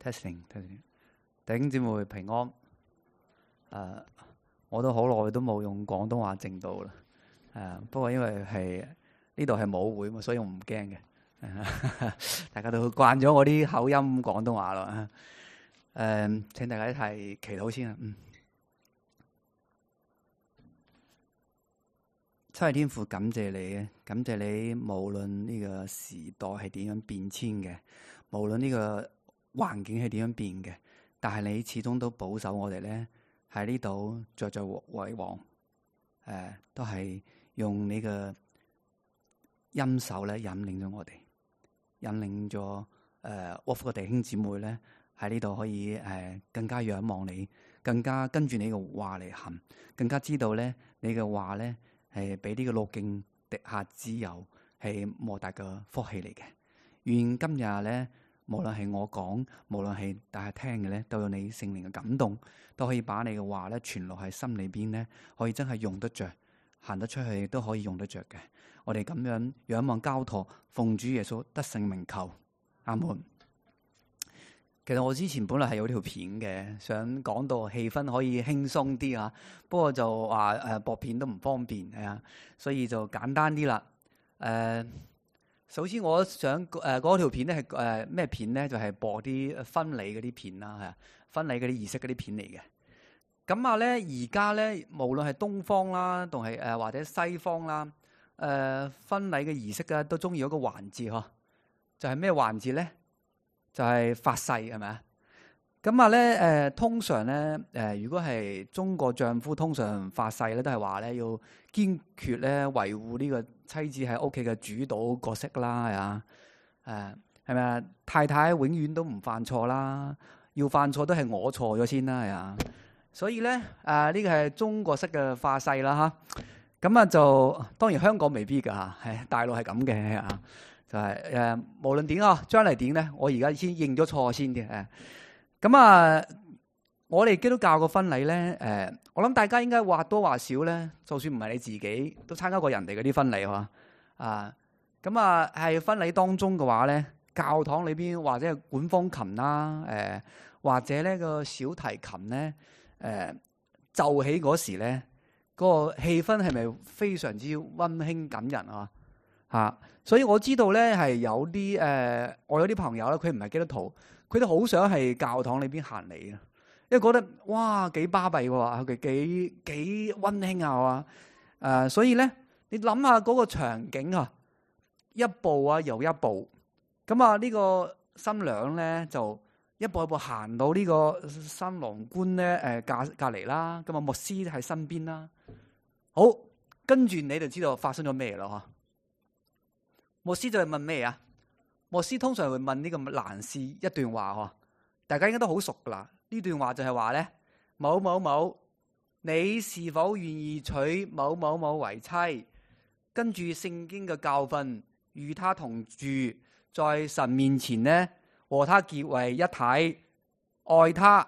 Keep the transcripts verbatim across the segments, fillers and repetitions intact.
testing testing， 弟兄姊妹平安。誒、呃，我都好耐都冇用廣東話證道啦。誒、呃，不過因為係呢度係舞會嘛，所以我唔驚嘅。大家都慣咗我啲口音廣東話咯。誒、呃，請大家一齊祈禱先啊。嗯。七位天父，感謝你啊！感謝你，無論呢個時代係點樣變遷嘅，無論呢個環境係點樣變嘅，但係你始終都保守我哋咧喺呢度着着為王。誒、呃，都係用你嘅恩手咧引領咗我哋，引領咗誒沃福嘅弟兄姊妹咧喺呢度可以誒、呃、更加仰望你，更加跟住你嘅話嚟行，更加知道咧你嘅話咧。係俾呢個路徑滴下之油，係莫大嘅福氣嚟嘅。願今日咧，無論係我講，無論係大家聽嘅咧，都有你聖靈嘅感動，都可以把你嘅話咧傳落喺心裏邊咧，可以真係用得着，行得出去都可以用得着嘅。我哋咁樣仰望交託，奉主耶穌得勝名求，阿門。其實我之前本來係有條片嘅，想講到氣氛可以輕鬆啲啊，不過就話誒播片都唔方便係啊，所以就簡單啲啦。誒、呃，首先我想誒嗰條片咧係誒咩片咧？就係、是、播啲婚禮嗰啲片啦，係啊，婚禮嗰啲儀式嗰啲片嚟嘅。咁啊咧，而家咧無論係東方啦，同係誒或者西方啦，誒、呃、婚禮嘅儀式啊，都中意有個環節嗬，就係咩環節咧？就係發誓係咪啊？咁啊咧誒，通常咧誒、呃，如果係中國丈夫，通常發誓咧都係話咧要堅決咧維護呢個妻子喺屋企嘅主導角色啦，係啊誒係咪啊？太太永遠都唔犯錯啦，要犯錯都係我錯咗先啦，係啊。所以咧誒呢、呃這個係中國式嘅發誓啦嚇。咁啊就當然香港未必㗎嚇，係大陸係咁嘅啊。就係、是、誒、呃，無論點啊，將嚟點咧，我而家先認咗錯先嘅誒。咁啊，我哋基督教個婚禮咧，誒、呃，我諗大家應該或多或少咧，就算唔係你自己，都參加過人哋嗰啲婚禮嗬。啊，咁啊，係婚禮當中嘅話咧，教堂裏邊或者係管風琴啦，誒、呃，或者呢個小提琴咧，誒、呃，奏起嗰時咧，嗰、那個氣氛係咪非常之溫馨感人啊？嚇！所以我知道咧係有啲誒、呃，我有啲朋友咧，佢唔係基督徒，佢都好想係教堂裏邊行嚟嘅，因為覺得哇幾巴閉喎，佢幾幾溫馨啊！誒、呃，所以咧你諗下嗰個場景啊，一步啊又一步，咁啊呢個新娘咧就一步一步行到呢個新郎官咧誒隔隔離啦，咁啊牧師喺身邊啦，好，跟住你就知道發生咗咩咯嗬。牧師就係問咩啊？牧師通常會問呢個男士一段話嗬，大家應該都好熟噶啦。呢段話就係話咧，某某某，你是否願意娶某某某為妻？跟住聖經嘅教訓，與他同住，在神面前呢，和他結為一體，愛他、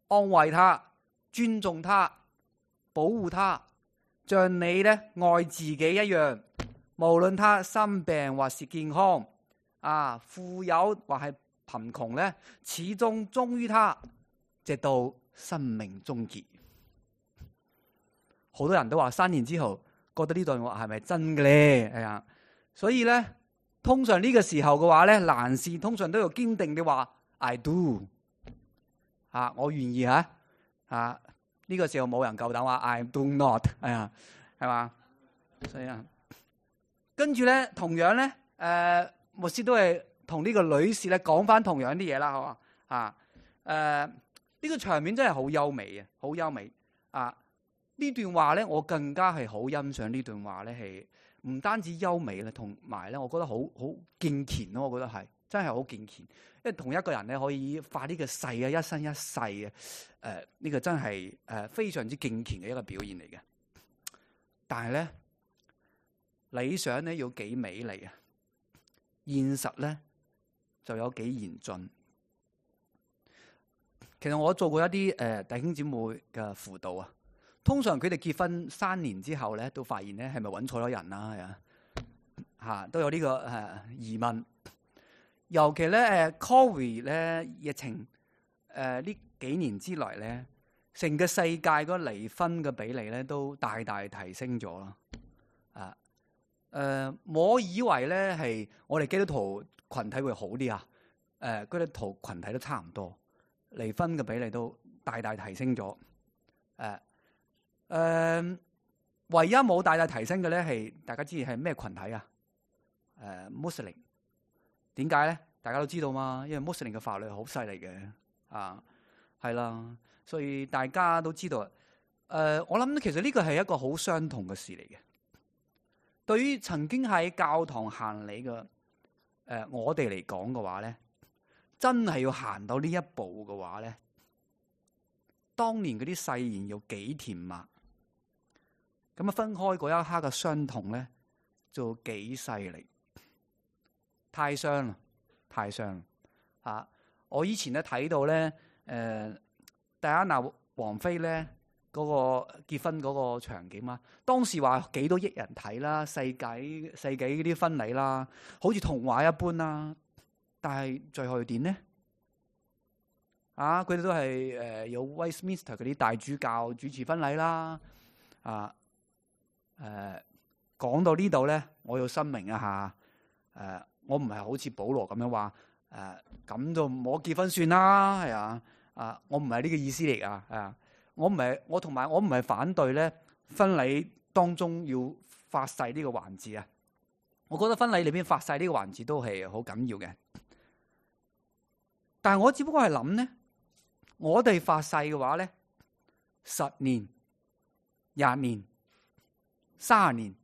安慰他、尊重他、保護他，像你咧愛自己一樣。無論他生病或是健康，啊，富有或係貧窮咧，始終忠於他，直到生命終結。好多人都話三年之後覺得呢段話係咪真嘅咧？係啊，所以咧，通常呢個時候嘅話咧，男士通常都要堅定地話 I do， 啊，我願意吓，啊，呢個時候冇人夠膽話 I do not， 係啊，係嘛，所以啊。跟住咧，同樣咧，誒、呃，牧師都係同呢個女士咧講翻同樣啲嘢啦，好嘛？啊，誒、呃，呢、這個場面真係好優美啊，好優美啊！呢段話咧，我更加係好欣賞呢段話咧，係唔單止優美啦，同埋咧，我覺得好好敬虔咯，我覺得係真係好敬虔，因為同一個人咧可以發呢個誓啊，一生一世嘅，誒、呃，呢、這個真係誒、呃、非常之敬虔嘅一個表現嚟嘅，但係咧。理想咧要幾美麗啊，現實咧就有幾嚴峻。其實我做過一啲誒、呃、弟兄姊妹嘅輔導啊，通常佢哋結婚三年之後咧，都發現咧係咪揾錯咗人啦？係啊，嚇都有呢、這個誒、呃、疑問。尤其咧誒 Covid 咧疫情誒呢幾年之內咧，成個世界嗰個離婚嘅比例咧都大大提升咗啦。啊誒、呃，我以為咧係我哋基督徒群體會好啲啊。誒、呃，基督徒群體都差唔多，離婚嘅比例都大大提升咗。誒、呃、誒、呃，唯一冇大大提升嘅咧係大家知係咩群體啊？誒、呃，穆斯林。點解咧？大家都知道嘛，因為穆斯林嘅法律好犀利嘅，啊，係啦，所以大家都知道。誒、呃，我諗其實呢個係一個好傷痛嘅事嚟嘅。對於曾經喺教堂行禮嘅誒我哋嚟講嘅話咧，真係要行到呢一步嘅話咧，當年嗰啲誓言要幾甜蜜，咁啊分開嗰一刻嘅傷痛咧，就幾犀利。太傷啦，太傷啦！啊，我以前咧睇到咧，誒、呃，戴安娜王妃咧嗰、那個結婚嗰個場景啊，當時話幾多億人睇啦，世紀世紀嗰啲婚禮啦，好似童話一般啦。但係最後點呢？啊，佢哋都係誒、呃、有 Westminster 嗰啲大主教主持婚禮啦。啊，誒、呃，講到呢度咧，我要申明一下，誒、呃。我唔係好似保羅咁樣話，誒、呃、咁就唔好結婚算啦，係啊，啊我唔係呢個意思嚟噶，啊我唔係我同埋我唔係反對咧婚禮當中要發誓呢個環節啊，我覺得婚禮裏邊發誓呢個環節都係好緊要嘅，但係我只不過係諗咧，我哋發誓嘅話咧，十年、廿年、卅年，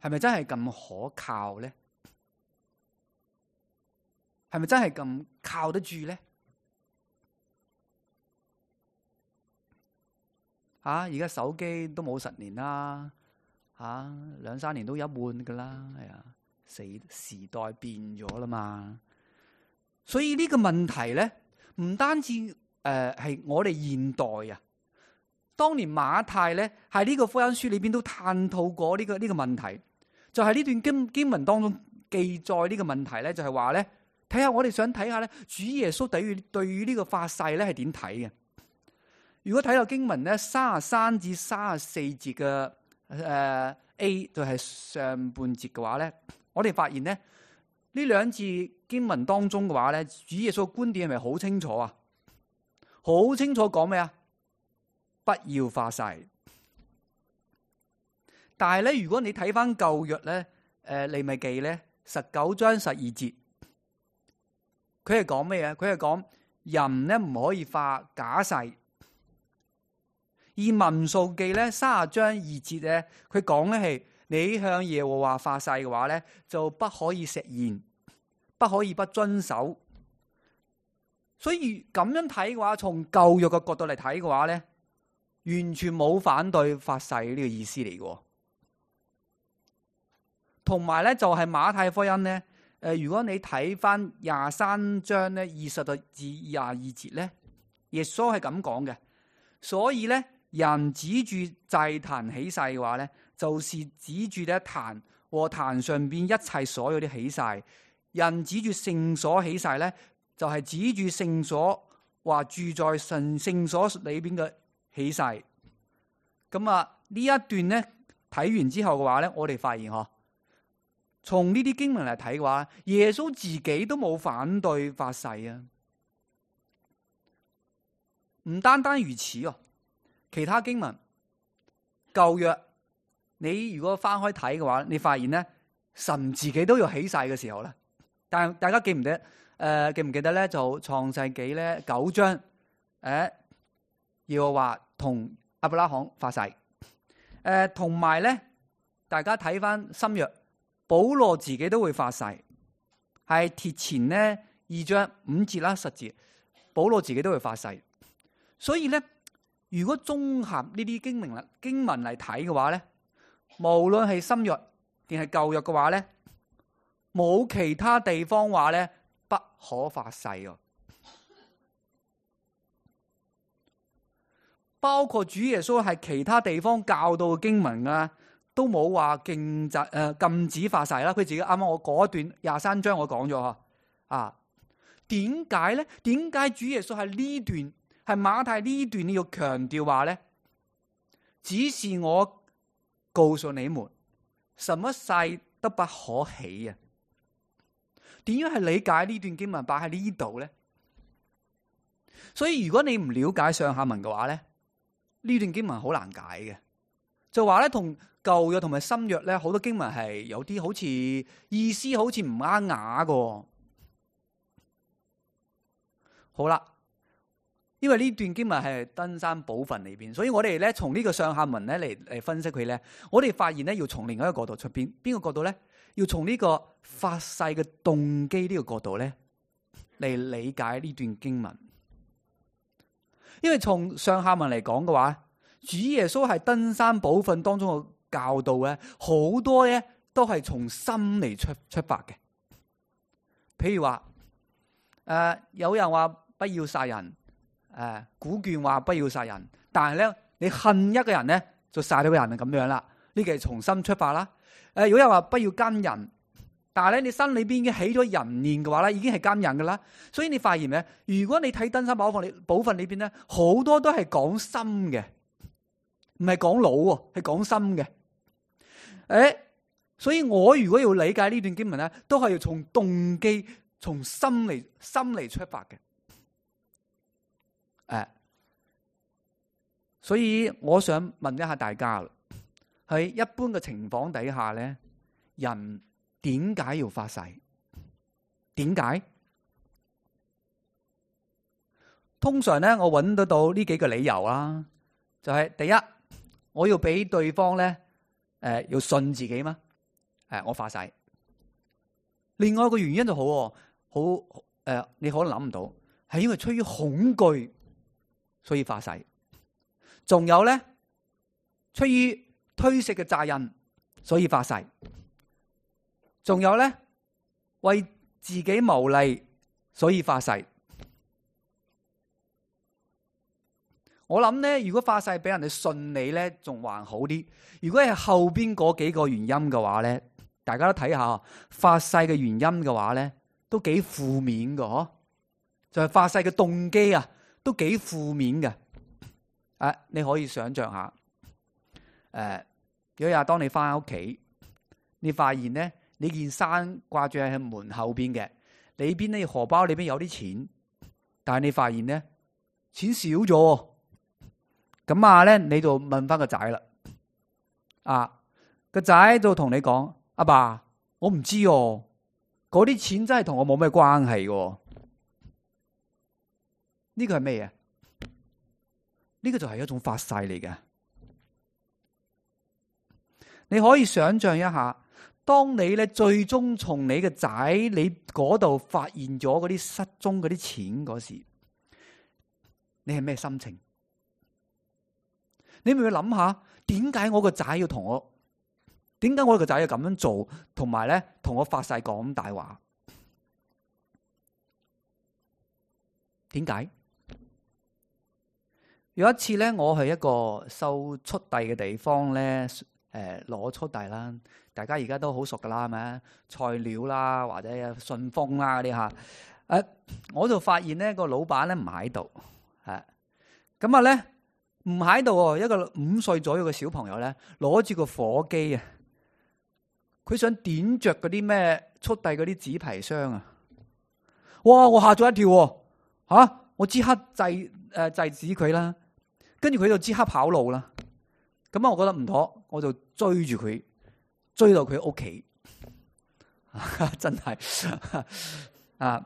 係咪真係咁可靠咧？係咪真係咁靠得住咧？吓、啊，而家手機都冇十年啦，吓、啊、兩三年都一換噶啦，係啊，時時代變咗啦嘛。所以呢個問題咧，唔單止誒係我哋現代啊，當年馬太咧喺呢個福音書裏邊都探討過呢個呢個問題，就係呢段經經文當中記載呢個問題咧，就係話咧。睇下我哋想睇下咧，主耶穌對於對於呢個發誓咧係點睇嘅？如果睇到經文咧三十三至三十四節嘅誒 A 就係上半節嘅話咧，我哋發現咧呢兩節經文當中嘅話咧，主耶穌嘅觀點係咪好清楚啊？好清楚講咩啊？不要發誓。但係咧，如果你睇翻舊約咧，誒利未記咧十九章十二節。佢係講咩嘢？佢係講人咧唔可以發假誓。而民數記咧三十章二節咧，佢講咧係你向耶和華發誓嘅話咧，就不可以食言，不可以不遵守。所以咁樣睇嘅話，從舊約嘅角度嚟睇嘅話咧，完全冇反對發誓呢個意思嚟嘅。同埋咧，就係馬太福音咧。誒、呃，如果你睇翻廿三章咧二十至廿二節咧，耶穌係咁講嘅。所以咧，人指住祭壇起誓嘅話咧，就是指住咧壇和壇上邊一切所有啲起誓。人指住聖所起誓咧，就係、是、指住聖所話住在神聖所裏邊嘅起誓。咁啊，呢一段咧睇完之後嘅話咧，我哋發現嗬。從呢啲經文嚟睇嘅話，耶穌自己都冇反對發誓啊！唔單單如此哦，其他經文舊約，你如果翻開睇嘅話，你發現咧神自己都要起誓嘅時候咧。但係大家記唔記得？誒、呃，記唔記得咧？就創世紀咧九章，誒、呃，要話同亞伯拉罕發誓。誒、呃，同埋咧，大家睇翻新約。保羅自己都會發誓，係帖前呢二章五節啦十節，保羅自己都會發誓。所以咧，如果綜合呢啲經文啦經文嚟睇嘅話咧，無論係新約定係舊約嘅話咧，冇其他地方話咧不可發誓嘅，包括主耶穌係其他地方教導嘅經文啊。都冇話禁止誒禁止發誓啦，佢自己啱啱我嗰段廿三章我講咗嗬，啊，點解咧？點解主耶穌喺呢段係馬太呢段你要強調話咧？只是我告訴你們，什麼誓都不可起啊！點樣係理解呢段經文擺喺呢度咧？所以如果你唔了解上下文嘅話咧，呢段經文好難解嘅。就話咧，同舊約同埋新約咧，好多經文係有啲好似意思好似唔啱雅嘅。好啦，因為呢段經文係登山寶訓裏邊，所以我哋咧從呢個上下文咧嚟嚟分析佢咧，我哋發現咧要從另一個角度出邊，邊個角度咧？要從呢個發誓嘅動機呢個角度咧嚟理解呢段經文。因為從上下文嚟講嘅話，主耶穌係登山寶訓當中嘅教導咧，好多咧都係從心嚟出出發嘅。譬如話，誒、呃、有人話不要殺人，誒、呃、古卷話不要殺人，但係咧你恨一個人咧就殺咗個人咁樣啦，呢個係從心出發啦。誒、呃，如果有人話不要奸人，但係咧你心裏邊已經起咗人念嘅話咧，已經係奸人噶啦。所以你發現咩？如果你睇登山寶訓裏寶訓裏邊咧，好多都係講心嘅，唔係講腦喎，係講心嘅。誒，所以我如果要理解呢段經文咧，都係要從動機、從心嚟心嚟出發嘅。誒，所以我想問一下大家，喺一般嘅情況底下咧，人點解要發誓？點解？通常咧，我揾得到呢幾個理由啦，就係、是、第一，我要俾對方咧，誒、呃，要信自己嘛，誒、呃，我發誓。另外一個原因就好，好誒、呃，你可能諗唔到，係因為出於恐懼，所以發誓。仲有咧，出於推卸嘅責任，所以發誓。仲有咧，為自己謀利，所以發誓。我諗咧，如果發誓俾人哋信你咧，仲還好啲。如果係後邊嗰幾個原因嘅話咧，大家都睇下，發誓嘅原因嘅話咧，都幾負面嘅嗬。就係、是、發誓嘅動機啊，都幾負面嘅。誒、啊，你可以想象下，誒、啊，有日當你翻屋企，你發現咧。你件衫掛住喺門後邊嘅，裏邊咧荷包裏邊有啲錢，但係你發現咧錢少咗，咁啊咧你就問翻個仔啦，啊個仔就同你講：阿爸，爸，我唔知哦，嗰啲錢真係同我冇咩關係嘅。呢個係咩嘢？呢個就係一種發誓嚟嘅。你可以想象一下。當你咧最終從你嘅仔你嗰度發現咗嗰啲失蹤嗰啲錢嗰時，你係咩心情？你咪要諗下，點解我個仔要同我？點解我個仔要咁樣做？同埋咧，同我發誓講大話？點解？有一次咧，我去一個收速遞嘅地方咧。誒，攞速遞啦，大家而家都好熟噶啦，係咪？菜鳥啦，或者順豐啦嗰啲吓，誒，我就發現咧個老闆咧唔喺度，係咁啊咧唔喺度，一個五歲左右嘅小朋友咧攞住個火機啊，佢想點着嗰啲咩速遞嗰啲紙皮箱啊，哇！我嚇咗一跳，吓、啊、我即刻制誒、呃、制止佢啦，跟住佢就即刻跑路啦。咁啊，我覺得唔妥，我就追住佢，追到佢屋企，真係啊！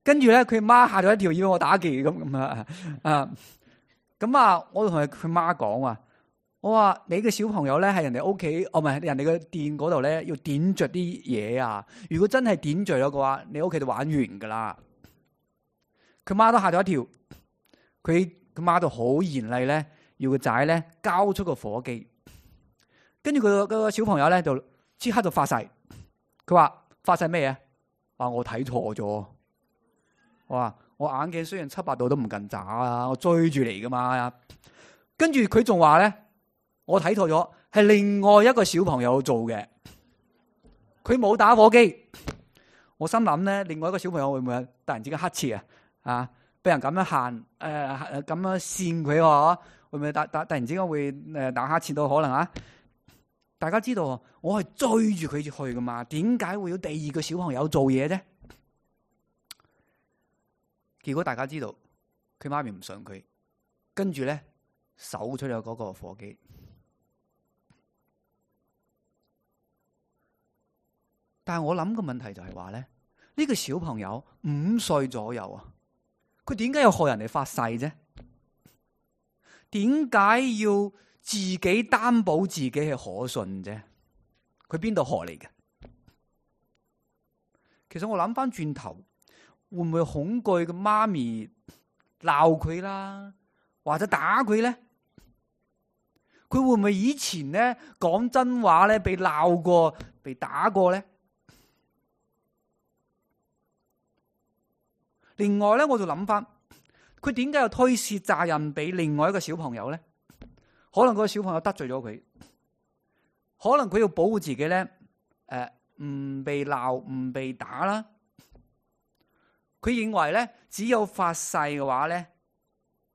跟住咧，佢媽嚇咗一跳，以為我打劫咁咁啊啊！咁啊，我同佢佢媽講話，我話你嘅小朋友咧喺人哋屋企，哦唔係人哋嘅店嗰度咧，要點着啲嘢啊！如果真係點着咗嘅話，你屋企就玩完噶啦！佢媽都嚇咗一跳，佢佢媽就好嚴厲咧。要個仔咧交出個火機，跟住佢個小朋友咧就即刻就發誓，佢話發誓咩嘢？話我睇錯咗，我話我眼鏡雖然七八度都唔近渣啊，我追住嚟噶嘛。跟住佢仲話咧，我睇錯咗，係另外一個小朋友做嘅，佢冇打火機。我心諗咧，另外一個小朋友會唔會突然之間乞嗤啊？啊，俾人咁樣限誒咁樣扇佢喎，會唔會突突突然之間會誒打乞嗤到可能啊？大家知道我係追住佢去噶嘛？點解會有第二個小朋友做嘢啫？結果大家知道佢媽咪唔信佢，跟住咧搜出咗嗰個火機。但係我諗個問題就係話咧，呢個小朋友五歲左右啊，佢點解要學人哋發誓啫？點解要自己擔保自己係可信啫？佢邊度學嚟嘅？其實我諗翻轉頭，會唔會恐懼個媽咪鬧佢啦，或者打佢咧？佢會唔會以前咧講真話咧，被鬧過、被打過咧？另外咧，我就諗翻，佢點解要推卸責任俾另外一個小朋友咧？可能嗰個小朋友得罪咗佢，可能佢要保護自己咧，誒、呃，唔被鬧、唔被打啦。佢認為咧，只有發誓嘅話咧，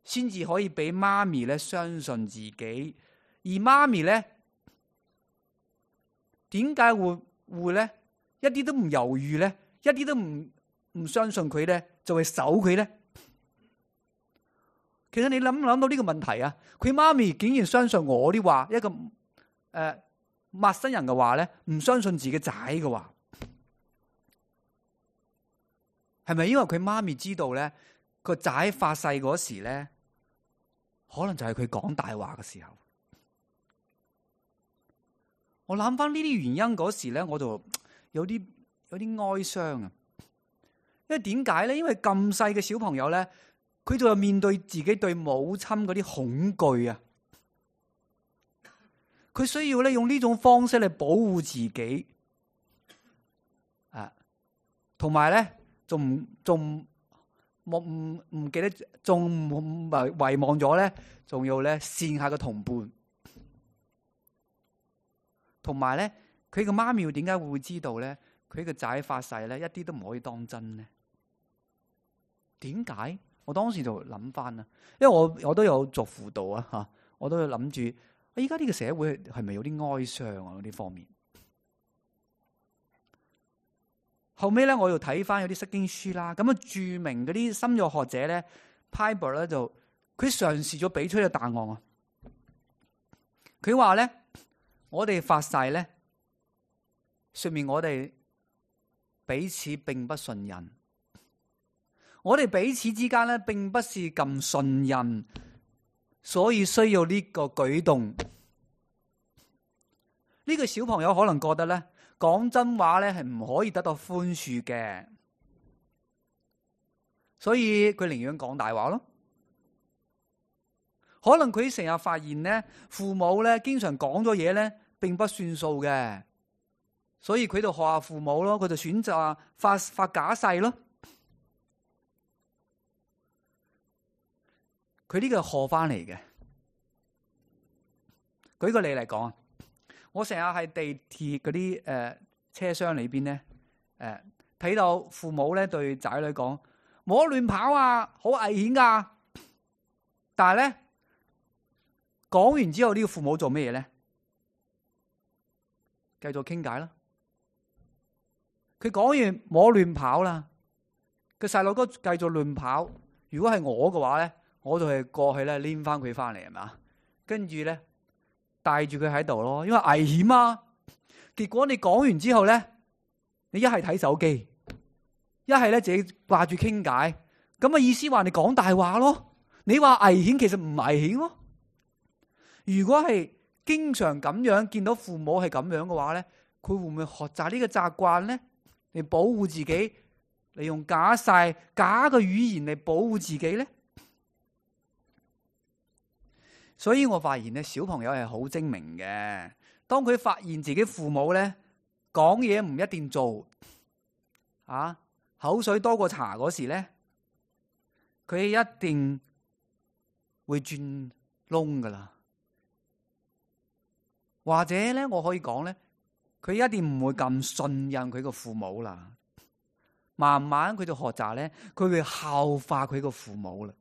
先至可以俾媽咪咧相信自己。而媽咪咧，點解會會咧一啲都唔猶豫咧，一啲都唔唔相信佢咧，就會守佢咧？其實你諗唔諗到呢個問題啊？佢媽咪竟然相信我啲話，一個誒、呃、陌生人嘅話咧，唔相信自己仔嘅話，係咪因為佢媽咪知道咧個仔發誓嗰時咧，可能就係佢講大話嘅時候？我諗翻呢啲原因嗰時咧，我就有啲有啲哀傷啊！因為點解咧？因為咁細嘅小朋友咧，佢就面對自己對母親嗰啲恐懼啊！佢需要咧用呢種方式嚟保護自己啊，同埋咧仲仲唔唔唔記得，仲唔遺遺忘咗咧，仲要咧扇下個同伴。同埋咧，佢個媽咪點解會知道咧？佢個仔發誓咧，一啲都唔可以當真咧？點解？我當時就諗翻啦，因為我我都有做輔導啊，吓，我都有諗住，而家呢個社會係咪有啲哀傷啊？嗰啲方面，後尾咧，我又睇翻有啲釋經書啦，咁啊著名嗰啲心理學者咧，Piper 咧就佢嘗試咗俾出一個答案啊，佢話咧。我哋發誓咧，說明我哋彼此並不信任。我哋彼此之間咧，並不是咁信任，所以需要呢個舉動。呢個小朋友可能覺得咧，講真話咧係唔可以得到寬恕嘅，所以佢寧願講大話咯。可能佢成日發現咧，父母咧經常講咗嘢咧，並不算數嘅，所以佢就學下父母咯，佢就選擇發發假誓咯。佢呢個係學翻嚟嘅。舉個例嚟講啊，我成日喺地鐵嗰啲誒車廂裏邊咧，誒睇到父母咧對仔女講：唔好亂跑啊，好危險噶。但係咧，講完之後呢個父母做咩嘢咧？繼續傾偈啦。佢講完唔好亂跑啦，個細路哥繼續亂跑。如果係我嘅話咧，我就係過去咧拎翻佢翻嚟，係嘛，跟住咧帶住佢喺度咯，因為危險啊。結果你講完之後咧，你一係睇手機，一係咧自己掛住傾偈，咁嘅意思話你講大話咯。你話危險，其實唔危險咯。如果係經常咁樣見到父母係咁樣嘅話咧，佢會唔會學習呢個習慣咧？嚟保護自己，嚟用假誓、假嘅語言嚟保護自己咧？所以我發現咧，小朋友係好精明嘅。當佢發現自己父母咧講嘢唔一定做，啊口水多過茶嗰時咧，佢一定會轉窿噶啦。或者咧，我可以講咧，佢一定唔會咁信任佢個父母啦。慢慢佢就學習咧，佢會效法佢個父母啦，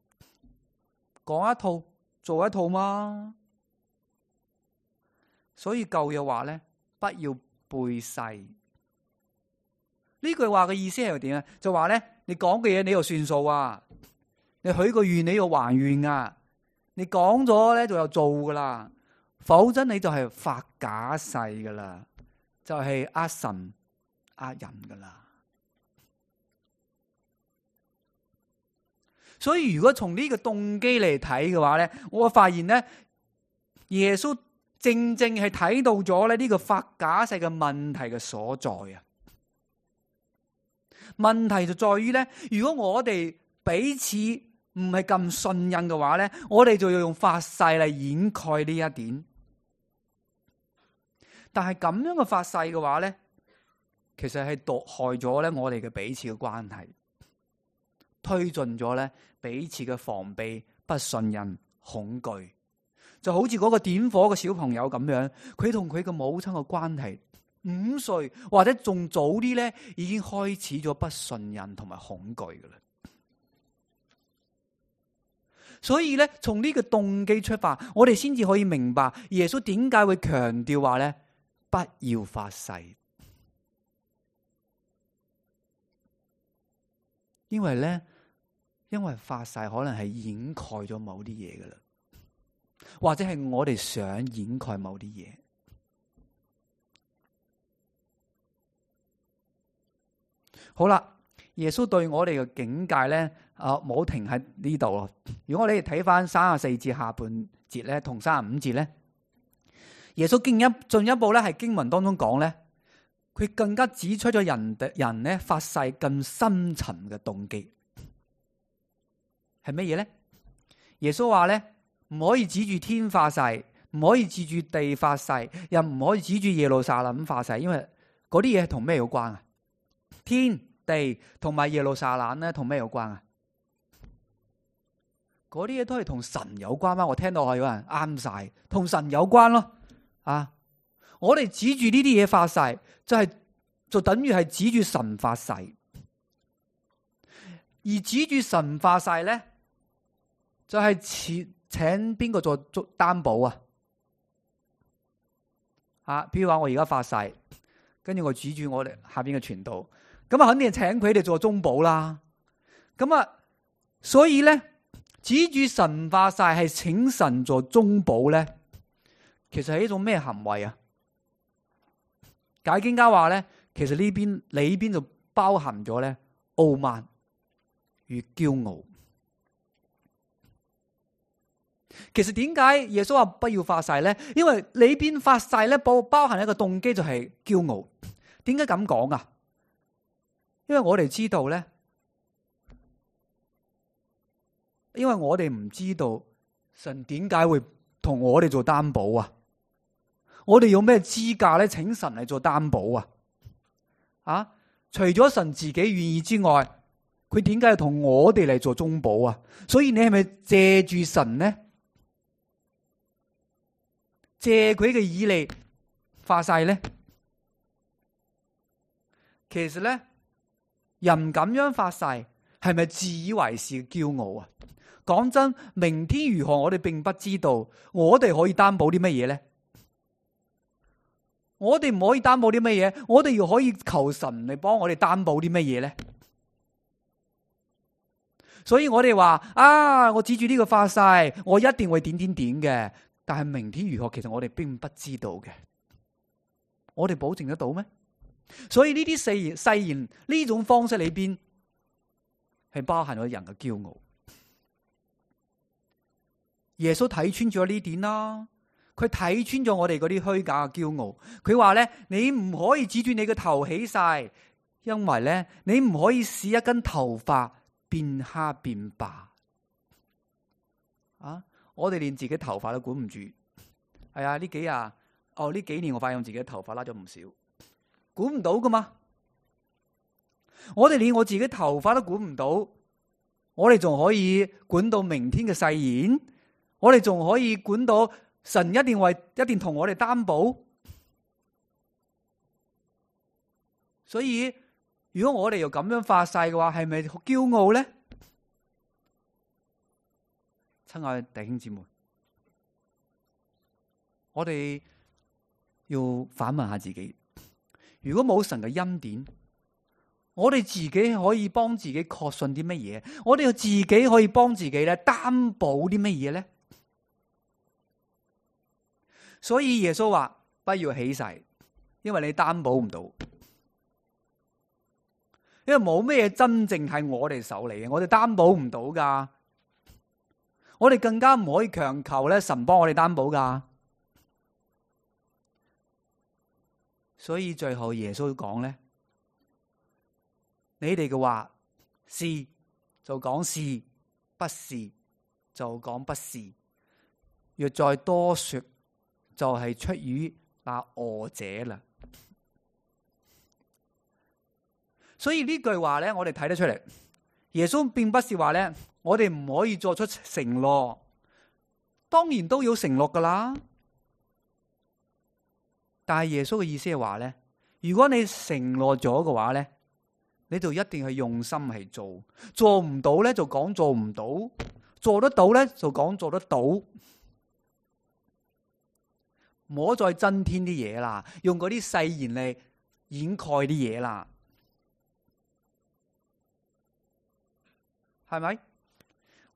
講一套做一套嘛。所以舊約話咧，不要背誓。呢句話嘅意思係點啊？就話咧，你講嘅嘢你又算數啊，你許個願你要還願啊，你講咗咧就有做噶啦，否則你就係發假誓噶啦，就係呃神呃人噶啦。所以如果從呢個動機嚟睇嘅話咧，我發現咧，耶穌正正係睇到咗咧呢個發假誓嘅問題嘅所在啊。問題就在於咧，如果我哋彼此唔係咁信任嘅話咧，我哋就要用發誓嚟掩蓋呢一點。但係咁樣嘅發誓嘅話咧，其實係毒害咗咧我哋嘅彼此嘅關係，推進咗咧彼此嘅防備、不信任、恐懼，就好似嗰個點火嘅小朋友咁樣，佢同佢嘅母親嘅關係，五歲或者仲早啲咧，已經開始咗不信任同埋恐懼噶啦。所以咧，從呢個動機出發，我哋先至可以明白耶穌點解會強調話咧，不要發誓，因為咧，因為發誓可能係掩蓋咗某啲嘢噶啦，或者係我哋想掩蓋某啲嘢。好啦，耶穌對我哋嘅警戒咧，啊冇停喺呢度咯。如果我哋睇翻三十四節下半節咧，同三十五節咧，耶穌進一進一步咧係經文當中講咧，佢更加指出咗人人咧發誓更深層嘅動機係乜嘢咧？耶穌話咧，唔可以指住天發誓，唔可以指住地發誓，又唔可以指住耶路撒冷發誓，因為嗰啲嘢係同咩有關啊？天地同埋耶路撒冷咧，同咩有關啊？嗰啲嘢都係同神有關嗎？我聽到有人啱晒，同神有關咯。啊，我哋指住呢啲嘢發誓，就係、是、就等於係指住神發誓，而指住神發誓咧，就係、是、請請邊個做做擔保啊？啊，譬如話我而家發誓，跟住我指住我哋下邊嘅傳道。咁啊，肯定係請佢哋做中保啦。咁啊，所以咧，指住神發誓係請神做中保咧，其實係一種咩行為啊？解經家話咧，其實呢邊裏邊就包含咗咧傲慢與驕傲。其實點解耶穌話不要發誓咧？因為裏邊發誓咧，包包含一個動機就係驕傲。點解咁講啊？因為我哋知道咧，因為我哋唔知道神點解會同我哋做擔保啊？我哋有咩資格咧，請神嚟做擔保啊？啊，除咗神自己願意之外，佢點解要同我哋嚟做中保啊？所以你係咪借住神呢？借佢嘅以利發誓咧？其實咧，人咁樣發誓，係咪自以為是嘅驕傲啊？講真，明天如何，我哋並不知道。我哋可以擔保啲乜嘢咧？我哋唔可以擔保啲乜嘢？我哋要可以求神嚟幫我哋擔保啲乜嘢咧？所以我哋話啊，我指住呢個發誓，我一定會點點點嘅。但係明天如何，其實我哋並不知道嘅。我哋保證得到咩？所以呢啲誓言誓言呢種方式裏邊係包含咗人嘅驕傲。耶穌睇穿咗呢點啦，佢睇穿咗我哋嗰啲虛假嘅驕傲。佢話咧，你唔可以指住你嘅頭起誓，因為咧你唔可以使一根頭髮變黑變白。啊！我哋連自己頭髮都管唔住。係啊，呢幾日哦呢幾年我發現自己頭髮拉咗唔少。管唔到噶嘛？我哋連我自己頭髮都管唔到，我哋仲可以管到明天嘅誓言？我哋仲可以管到神一定為一定同我哋擔保？所以如果我哋又咁樣發誓嘅話，係咪好驕傲咧？親愛嘅弟兄姊妹，我哋要反問下自己，如果冇神嘅恩典，我哋自己可以幫自己確信啲乜嘢？我哋又自己可以幫自己咧擔保啲乜嘢咧？所以耶穌話不要起誓，因為你擔保唔到，因為冇咩嘢真正係我哋手裏嘅，我哋擔保唔到噶，我哋更加唔可以強求咧神幫我哋擔保噶。所以最後耶穌講咧，你哋嘅話是就講是，不是就講不是，若再多說，就係出於那惡者啦。所以呢句話咧，我哋睇得出嚟，耶穌並不是話咧，我哋唔可以作出承諾，當然都要承諾噶啦。但係耶穌嘅意思係話咧，如果你承諾咗嘅話咧，你就一定係用心去做，做唔到咧就講做唔到，做得到咧就講做得到，唔好再增添啲嘢啦，用嗰啲誓言嚟掩蓋啲嘢啦，係咪？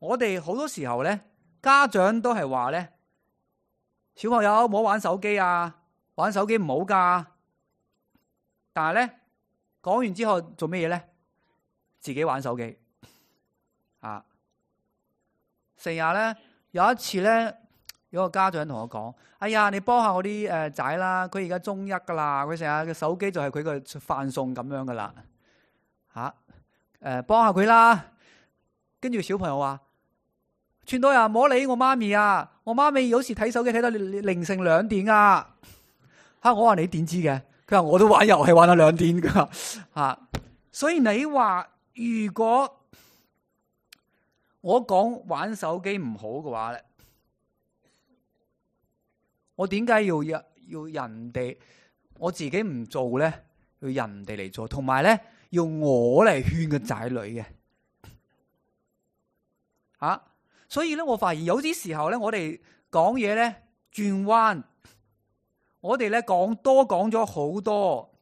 我哋好多時候咧，家長都係話咧，小朋友唔好玩手機啊，玩手機唔好噶。但係咧，講完之後做咩嘢咧？自己玩手機啊！成日咧，有一次咧，有個家長同我講：哎呀，你幫下我啲誒仔啦，佢而家中一噶啦，佢成日嘅手機就係佢嘅飯餸咁樣噶啦，吓誒，幫下佢啦。跟住小朋友話：串到呀，唔好理我媽咪啊！我媽咪有時睇手機睇到凌晨兩點啊！吓，我話你點知嘅？佢話我都玩遊戲玩到兩點噶吓。所以你話如果我講玩手機唔好嘅話咧，我點解要要人哋？我自己唔做咧，要人哋嚟做，同埋咧要我嚟勸個仔女嘅。啊，所以咧，我發現有啲時候咧，我哋講嘢咧轉彎，我哋咧講多講咗好多，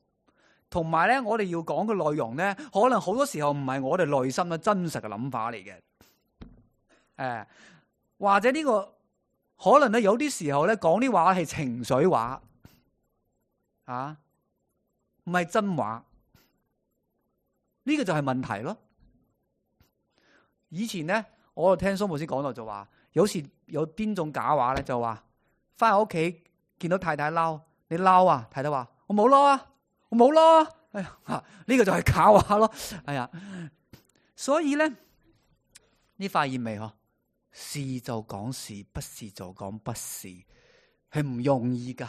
同埋咧，我哋要講嘅內容咧，可能好多時候唔係我哋內心嘅真實嘅諗法嚟嘅。誒、呃，或者呢個可能咧，有啲時候咧講啲話係情緒話，啊，唔係真話，呢個就係問題咯。以前咧。我聽蘇牧師講到就話，有時有邊種假話咧，就話翻喺屋企見到太太嬲，你嬲啊？太太話我冇嬲啊，我冇嬲啊。哎呀，呢、這個就係假話咯。哎呀，所以咧，你發現未？嗬，是就講是，不是就講不是，係唔容易噶。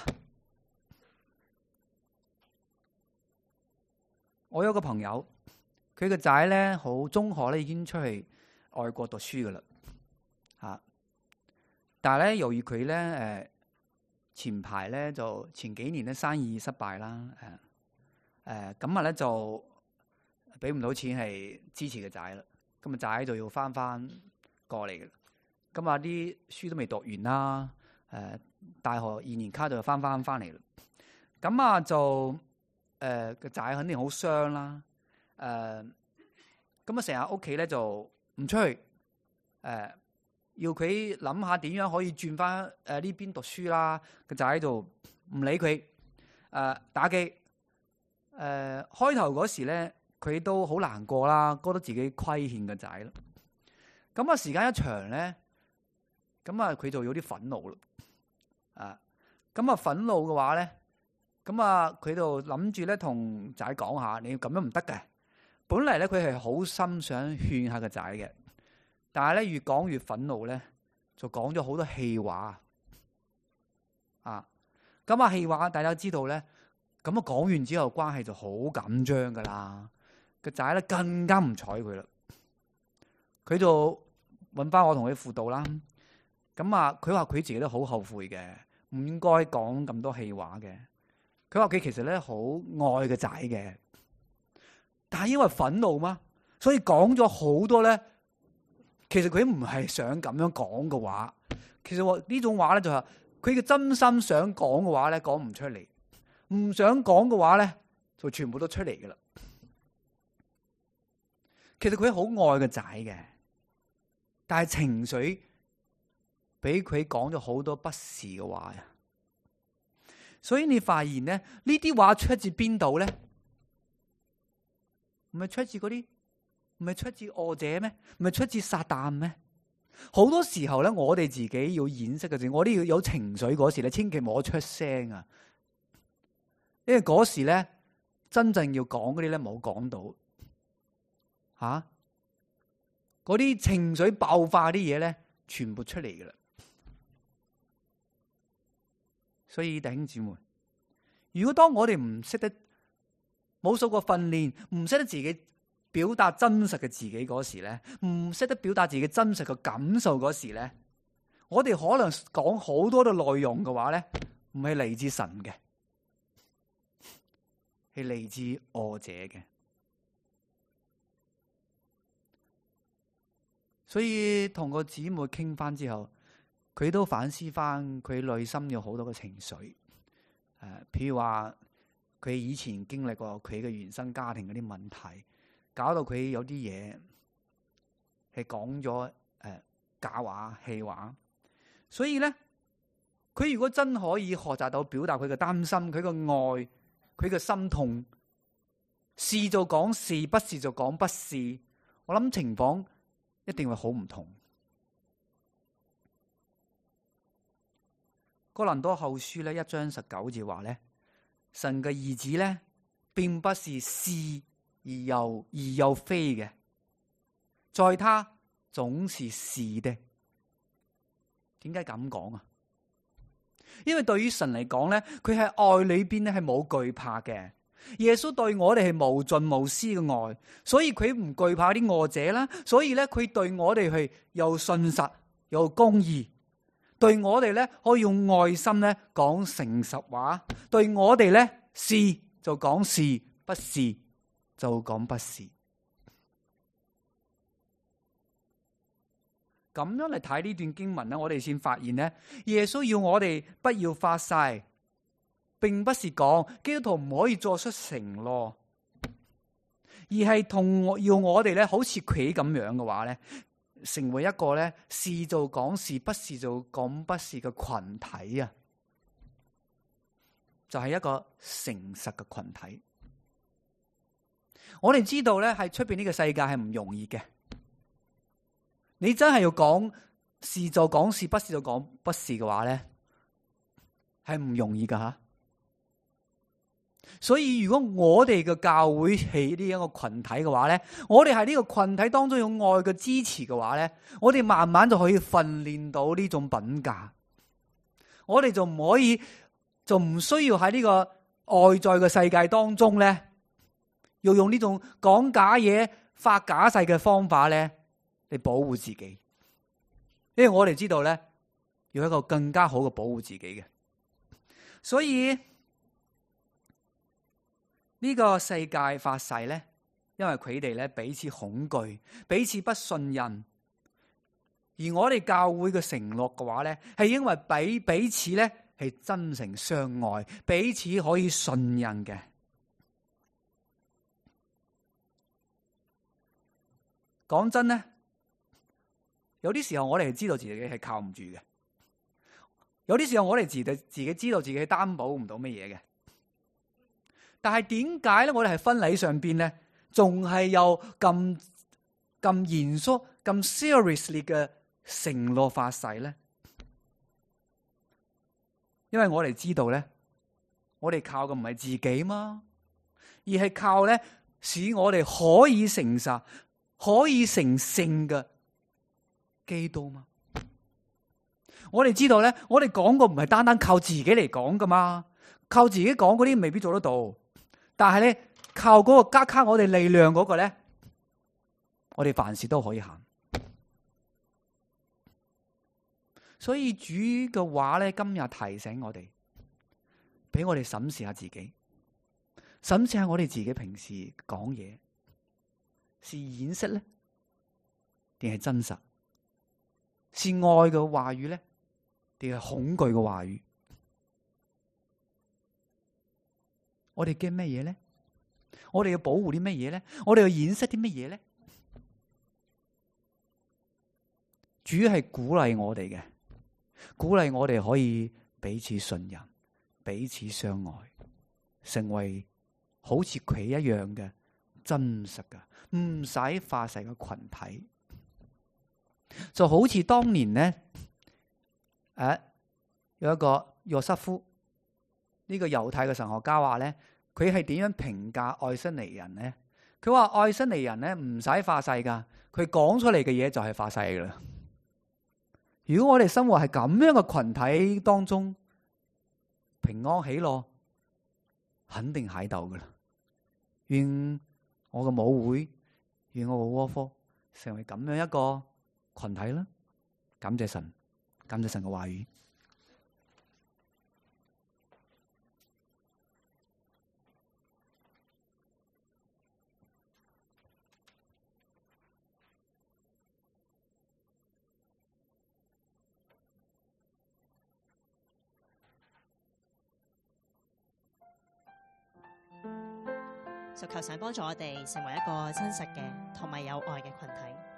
我有個朋友，佢個仔咧好中學咧已經出去外國讀書噶啦，吓！但係咧，由於佢咧，誒，前排咧就前幾年咧生意失敗啦，誒，誒，咁啊咧就俾唔到錢係支持個仔啦，咁啊仔就要翻翻過嚟嘅，咁啊啲書都未讀完啦，誒，大學二年卡就要翻翻翻嚟啦，咁啊就誒個仔肯定好傷啦，誒，咁啊成日屋企咧就唔出去，誒、呃，要佢諗下點樣可以轉翻誒呢邊讀書啦。個仔喺度唔理佢，誒、呃、打機。誒、呃、開頭嗰時咧，佢都好難過啦，覺得自己虧欠個仔咯。咁啊，時間一長咧，咁啊佢就有啲憤怒咯。啊，咁啊憤怒嘅話咧，咁啊佢就諗住咧同仔講下，你要咁樣唔得嘅。本嚟咧，佢係好心想勸下個仔嘅，但係咧越講越憤怒咧，就講咗好多氣話啊！咁啊氣話大家知道咧，咁啊講完之後關係就好緊張噶啦，個仔咧更加唔睬佢啦，佢就揾翻我同佢輔導啦。咁啊，佢話佢自己都好後悔嘅，唔應該講咁多氣話嘅。佢話佢其實咧好愛個仔嘅。但係因為憤怒嘛，所以講咗好多咧。其實佢唔係想咁樣講嘅話，其實我呢種話咧就係佢嘅真心想講嘅話咧，講唔出嚟；唔想講嘅話咧，就全部都出嚟噶啦。其實佢好愛個仔嘅，但係情緒俾佢講咗好多不是嘅話呀。所以你發現咧，呢啲話出自邊度咧？唔係出自嗰啲。唔係出自惡者咩？唔係出自撒旦咩？好多時候咧，我哋自己要掩飾嘅時候，我哋要有情緒嗰時咧，千祈唔好出聲啊！因為嗰時咧，真正要講嗰啲咧冇講到，吓嗰啲情緒爆發啲嘢咧，全部出嚟噶啦。所以弟兄姊妹，如果當我哋唔識得冇受過訓練，唔識得自己表達真實嘅自己嗰時咧，唔識得表達自己真實嘅感受嗰時咧，我哋可能講好多嘅內容嘅話咧，唔係嚟自神嘅，係嚟自惡者嘅。所以同個姊妹傾翻之後，佢都反思翻佢內心有好多嘅情緒，誒、呃，譬如話佢以前經歷過佢嘅原生家庭嗰啲問題。搞到佢有啲嘢係講咗誒假話、氣話，所以咧，佢如果真可以學習到表達佢嘅擔心、佢嘅愛、佢嘅心痛，是就講是，不是就講不是，我諗情況一定會好唔同。哥林多後書咧一章十九節話咧，神嘅兒子咧，並不是是。而又而又非嘅，在他總是是的。點解咁講啊？因為對於神嚟講咧，佢喺愛裏邊咧係冇懼怕嘅。耶穌對我哋係無盡無私嘅愛，所以佢唔懼怕啲惡者啦。所以咧，佢對我哋係又信實又公義，對我哋咧可以用愛心咧講誠實話，對我哋咧是就講是，不是就講不是。咁樣嚟睇呢段經文咧，我哋先發現咧，耶穌要我哋不要發誓，並不是講基督徒唔可以作出承諾，而係同要我哋咧，好似佢咁樣嘅話咧，成為一個咧是就講是，不是就講不是嘅群體啊，就係一個誠實嘅群體。我哋知道咧，喺出邊呢個世界係唔容易嘅。你真係要講是就講是，不是就講不是嘅話咧，係唔容易噶吓。所以如果我哋嘅教會係呢一個群體嘅話咧，我哋喺呢個群體當中有愛嘅支持嘅話咧，我哋慢慢就可以訓練到呢種品格。我哋就唔可以，就唔需要喺呢個外在嘅世界當中咧，要用呢種講假嘢、發假誓嘅方法咧嚟保護自己。因為我哋知道咧，要一個更加好嘅保護自己嘅。所以呢個世界發誓咧，因為佢哋咧彼此恐懼、彼此不信任。而我哋教會嘅承諾嘅話咧，係因為彼彼此咧係真誠相愛，彼此可以信任嘅。講真咧，有啲時候我哋係知道自己係靠唔住嘅，有啲時候我哋自己自己知道自己擔保唔到乜嘢嘅。但係點解咧？我哋係婚禮上邊咧，仲係有咁咁嚴肅、咁 seriously 嘅承諾發誓咧？因為我哋知道咧，我哋靠嘅唔係自己嘛，而係靠咧使我哋可以誠實、可以成聖嘅基督嘛。我哋知道咧，我哋講過唔係單單靠自己嚟講噶嘛，靠自己講嗰啲未必做得到。但係咧，靠嗰個加卡我哋力量嗰個咧，我哋凡事都可以行。所以主嘅話咧，今日提醒我哋，俾我哋審視下自己，審視下我哋自己平時講嘢，是掩飾咧，定係真實？是愛嘅話語咧，定係恐懼嘅話語？我哋驚咩嘢咧？我哋要保護啲咩嘢咧？我哋要掩飾啲乜嘢咧？主係鼓勵我哋嘅，鼓勵我哋可以彼此信任、彼此相愛，成為好似佢一樣嘅真實嘅，唔使化誓嘅群體。就好似當年呢，誒、啊、有一個約瑟夫呢、這個猶太嘅神學家話咧，佢係點樣評價愛新尼人呢？佢話愛新尼人咧唔使化誓噶，佢講出嚟嘅嘢就係化誓噶啦。如果我哋生活係咁樣嘅群體當中，平安喜樂肯定喺度噶啦。願我嘅母會，願我嘅窩科成為咁樣一個群體啦。感謝神，感謝神嘅話語。就求神幫助我哋成為一個真實嘅同埋有愛嘅群體。